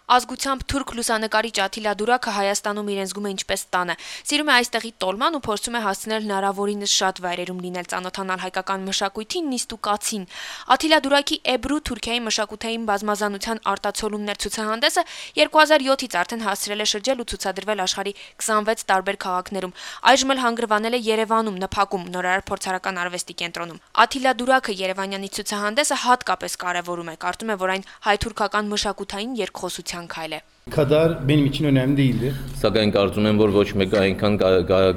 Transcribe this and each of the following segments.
Ազգությամբ թուրք լուսանկարիչ Աթիլա Դուրակը Հայաստանում իրեն զգում է ինչպես տանը։ Սիրում է այստեղի տոլման ու փորձում է հասցնել հնարավորինս շատ վայրերում լինել, ծանոթանալ հայկական մշակույթին, նիստ ու կացին։ Աթիլա Դուրակի Էբրու Թուրքիայի մշակութային բազմազանության արտացոլումներ ցուցահանդեսը 2007-ից արդեն հասցրել է շրջել ու ցուցադրվել աշխարհի 26 տարբեր քաղաքներում։ Այժմ էլ հանգրվանել է Երևանում, ՆՓԱԿ-ում, Նորարար փորձարարական արվեստի կենտրոնում։ Աթիլա Դուրակը Երևանյանի ցուցահանդեսը հատկապես կարևորում է, կարծում է, որ այն հայ-թուրքական մշակութային երկխոսության քայլ է։ Kadar benim için önemli değildi. Սակայն կարծում եմ, որ ոչ մեկը այնքան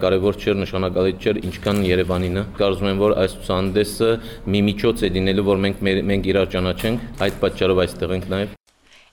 կարևոր չէր, նշանակալի չէր, ինչքան Երևանինը։ Կարծում եմ, որ այս ցուցահանդեսը մի միջոց է լինելու, որ մենք իրար ճանաչենք, այդ պատճառով այստեղ ենք նաև։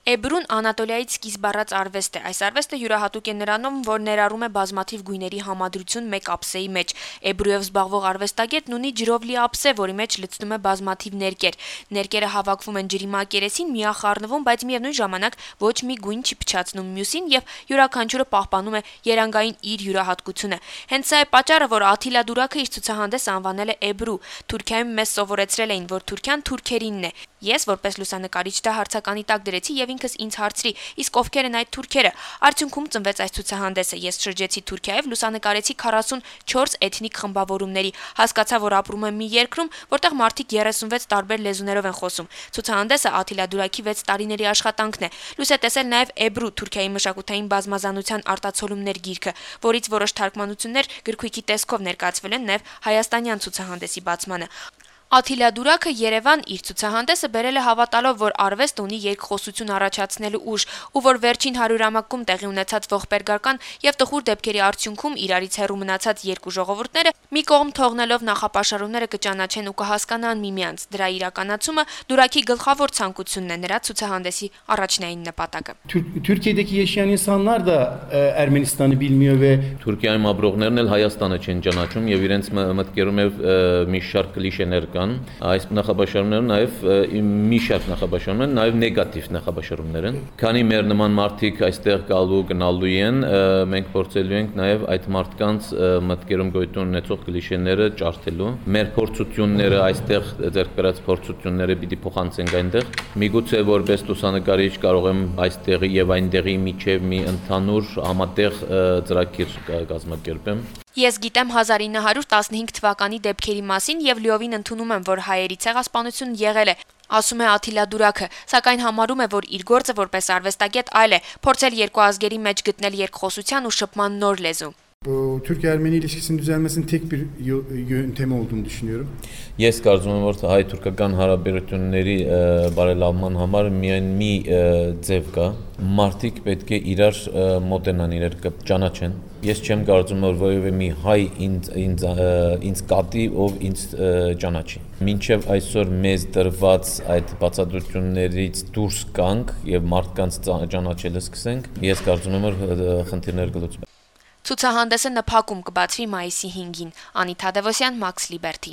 Էբրուն Անատոլիայից սկիզբ առած արվեստ է։ Այս արվեստը յուրահատուկ է նրանով, որ ներառում է բազմաթիվ գույների համադրություն մեկ ափսեի մեջ։ Էբրուով զբաղվող արվեստագետն ունի ջրով լի ափսե, որի մեջ լցնում է բազմաթիվ ներկեր։ Ներկերը հավաքվում են ջրի մակերեսին, միախառնվում, բայց միևնույն ժամանակ ոչ մի գույն չի փչացնում մյուսին եւ յուրաքանչյուրը պահպանում է երանգային իր յուրահատկությունը։ Հենց սա է պատճառը, որ Աթիլա Դուրակը իր ցուցահանդեսը անվանել է Էբրու։ Թուրքիայում մեզ սովորեցրել էին, որ Թուրքիան թուրքերինն է։ Ես որպես լուսանկարիչ դա հարցականի տակ դրեցի եւ ինքս ինձ հարցրի, իսկ ովքեր են այդ թուրքերը։ Արդյունքում ծնվեց այս ցուցահանդեսը։ Ես շրջեցի Թուրքիայով, լուսանկարեցի 44 էթնիկ խմբավորումների, հասկացա, որ ապրում եմ մի երկրում, որտեղ մարդիկ 36 տարբեր լեզուներով են խոսում։ Ցուցահանդեսը Աթիլա Դուրակի 6 տարիների աշխատանքն է։ Լույս է տեսել նաեւ Էբրու Թուրքիայի մշակութային բազմազանության արտացոլումներ գիրքը, որից որոշ թարգմանություններ գրքույկի տեսքով ներկայացվել են նաեւ հայաստանյան ցուցահանդեսի բացմանը։ Աթիլա Դուրակը Երևան իր ցուցահանդեսը բերել է հավատալով, որ արվեստը ունի երկխոսություն առաջացնելու ուժ, ու որ վերջին 100-ամյակում տեղի ունեցած ողբերգական եւ տխուր դեպքերի արդյունքում իրարից հեռու մնացած երկու ժողովուրդները մի կողմ թողնելով նախապաշարումները կճանաչեն ու կհասկանան միմյանց։ Դրա իրականացումը Դուրակի գլխավոր ցանկությունն է, նրա ցուցահանդեսի առաջնային նպատակը։ Türkiye'deki yaşayan insanlar da Ermenistan'ı bilmiyor ve Թուրքիայում ապրողներն էլ Հայաստանը չեն ճանաչում եւ իրենց մտքերում մի շարք կլիշեներ կան։ Այս նախաբաշարումները նաեւ մի շարք նախաբաշարումներ, նաեւ նեգատիվ նախաբաշարումներ են։ Քանի մեր նման մարդիկ այստեղ գալու գնալու են, մենք փորձելու ենք նաեւ այդ մարդկանց մտքերում գոյություն ունեցող կլիշեները ջարդելու։ Մեր փորձությունները այստեղ ձեռք բերած փորձությունները պիտի փոխանցենք այնտեղ։ Միգուցե որպես լուսանկարիչ կարող եմ այստեղի եւ այնտեղի միջև մի ընդհանուր համատեղ ծրագիր կազմակերպեմ։ Ես գիտեմ 1915 թվականի դեպքերի մասին եւ լիովին ընդունում եմ, որ հայերի ցեղասպանություն եղել է, ասում է Աթիլա Դուրակը, սակայն համարում է, որ իր գործը որպես արվեստագետ այլ է, փորձել երկու ազգերի մեջ գտնել երկխոսության ու շփման նոր լեզու։ Türk-Ermeni ilişkisinin düzelmesinin tek bir yöntemi olduğunu düşünüyorum. Ես կարծում եմ, որ հայ-թուրքական հարաբերությունների բարելավման համար միայն մի ձև կա։ Մարդիկ պետք է իրար մոտենան, իրար ճանաչեն։ Ես չեմ կարծում, որ որևէ մի հայ ինձ կատի, ով ինձ ճանաչի։ Մինչև այսօր մեզ դրված այդ բացատրություններից դուրս գանք եւ մարդկանց ճանաչելը սկսենք, ես կարծում եմ, որ խնդիրներ կլուծվեն։ Ցուցահանդեսը ՆՓԱԿ-ում կբացվի մայիսի 5-ին։ Անիթա Դևոսյան, Մաքս Լիբերթի։